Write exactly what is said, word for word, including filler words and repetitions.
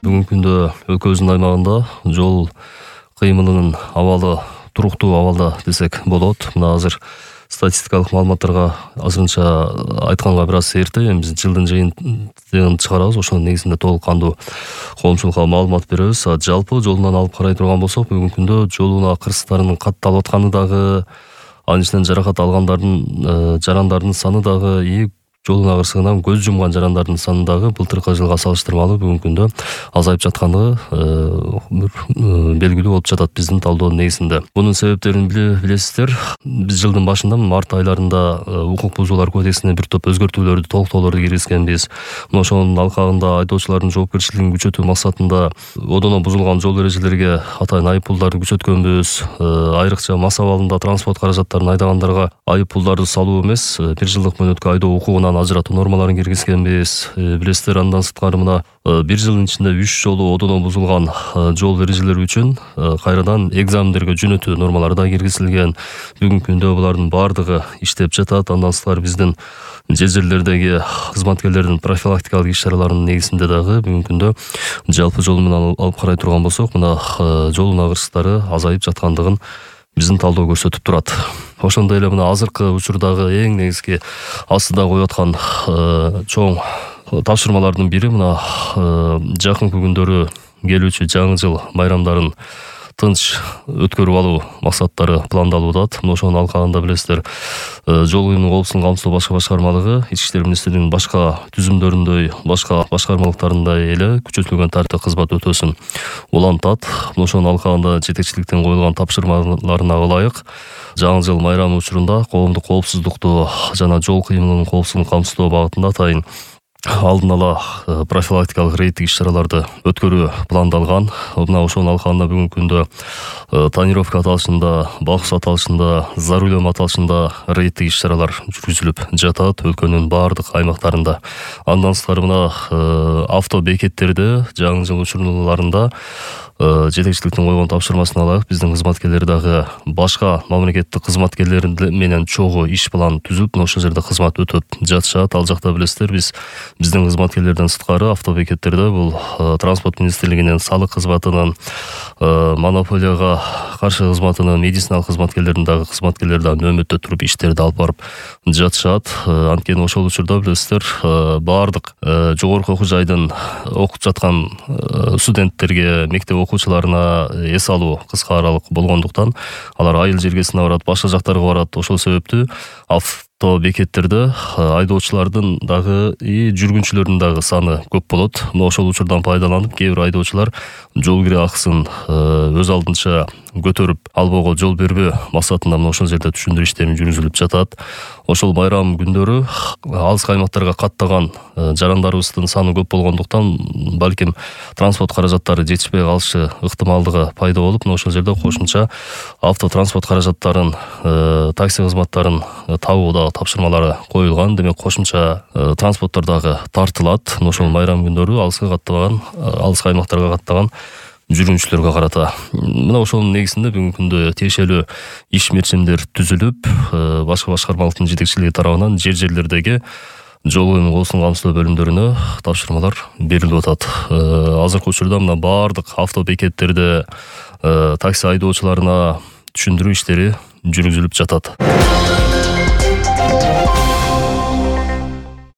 Бүгүнкү күндө өлкөбүздүн аймагында жол кыймылынын абалы туруктуу абалда десек болот. Мына азыр статистикалык маалыматтарга азырынча айтканга бир аз эрте. Эми биз жылдын жыйынтыгын чыгарабыз. Ошонун негизинде толук кандуу коомчулукка маалымат беребиз. Жалпы жолунан алып карай турган болсок, бүгүнкү күндө жол унаа кырсыктарынын катталып атканы дагы, анын ичинен жаракат алгандардын жарандардын саны дагы, и жол унаа кырсыгынан көз жумган жарандардын саны дагы былтыркы жылга салыштырмалуу бүгүнкү күндө азайып жаткандыгы белгилүү болуп жатат биздин талдоонун негизинде. Бунун себептерин билесиздер. Биз жылдын башында март айларында укук бузуулар кодексине бир топ өзгөртүүлөрдү, толуктоолорду киргизгенбиз. Мына ошонун алкагында айдоочулардын жоопкерчилигин күчөтүү максатында одоно бузулган жол эрежелерге атайын айыппулдарды күчөткөнбүз. Айрыкча мас абалында транспорт каражаттарын айдагандарга айыппулдарды салуу эмес, бир жылдык мөөнөткө айдоо укугунан ажыратуу нормаларын киргизгенбиз. Билесиздер, андан сырткары мына бир жылдын ичинде үч жолу одоно бузулган жол эрежелери үчүн кайрадан экзамендерге жөнөтүү нормалары да киргизилген. Бүгүнкү күндө булардын баардыгы иштеп жатат. Андан сырткары биздин жер жерлердеги кызматкерлердин профилактикалык иш-чараларынын негизинде дагы бүгүнкү күндө жалпы жол менен алып карай турган болсок, мына жол унаа кырсыктары азайып жаткандыгын биздин талдоо көрсөтүп турат. Ошондой эле мына азыркы учурдагы эң негизги астыда коюп аткан чоң тапшырмалардын бири мына жакынкы күндөрү келүүчү жаңы жыл майрамдарын тынч өткөрүп алуу максаттары пландалууда. Мына ошонун алкагында билесиздер, жол кыймылынын коопсуздугун камсыздоо башкы башкармалыгы Ички иштер министрлигинин башка түзүмдөрүндөй, башка башкармалыктарындай эле күчөтүлгөн тартипте кызмат өтөөсүн улантат. Мына ошонун алкагында жетекчиликтен коюлган тапшырмаларына ылайык жаңы жыл майрамы учурунда коомдук коопсуздукту жана жол кыймылынын коопсуздугун камсыздоо багытында атайын алдын ала профилактикалык рейдтик иш-чараларды өткөрүү пландалган. Мына ошонун алкагында бүгүнкү күндө тонировка аталышында, бакус аталышында, за рулем аталышында рейдтик иш-чаралар жүргүзүлүп жатат өлкөнүн баардык аймактарында. Андан сырткары мына авто бекеттерде жаңы жыл учурларында жетекчиликтин койгон тапшырмасына ылайык биздин кызматкерлер дагы башка мамлекеттик кызматкерлер менен чогуу иш план түзүп, мына ошол жерде кызмат өтөп жатышат. Ал жакта билесиздер, биз биздин кызматкерлерден сырткары автобекеттерде бул транспорт министрлигинин салык кызматынын, монополияга каршы кызматынын, медициналык кызматкерлердин дагы кызматкерлери дагы нөөмөттө туруп иштерди алып барып жатышат. Анткени ошол учурда билесиздер, баардык жогорку окуу жайдын окуп жаткан студенттерге, мектеп окуучуларына эс алуу кыска аралык болгондуктан алар айыл жергесине барат, башка жактарга барат. Ошол себептүү авто бекеттерде айдоочулардын дагы и жүргүнчүлөрдүн дагы саны көп болот. Мына ошол учурдан пайдаланып, кээ бир айдоочулар жол кире акысын өз алдынча көтөрүп албоого жол бербөө максатында мына ошол жерде түшүндүрүү иштерин жүргүзүлүп жатат. Ошол байрам күндөрү алыскы аймактарга каттаган жарандарыбыздын саны көп болгондуктан балким транспорт каражаттары жетишпей калышы ыктымалдыгы пайда болуп, мына ошол жерде кошумча автотранспорт каражаттарын, такси кызматтарын табуу дагы тапшырмалары коюлган. Демек кошумча транспорттор дагы тартылат. Мына ошол байрам күндөрү алыска каттаган, алыскы аймактарга каттаган жүргүнчүлөргө карата. Мына ошонун негизинде бүгүнкү күндө тиешелүү иш мерчимдер түзүлүп, башка башкармалыктын жетекчилиги тарабынан жер жерлердеги жол кыймылынын коопсуздугун камсыздоо бөлүмдөрүнө тапшырмалар берилип атат. Азыркы учурда мына баардык авто бекеттерде такси айдоочуларына түшүндүрүү иштери жүргүзүлүп жатат.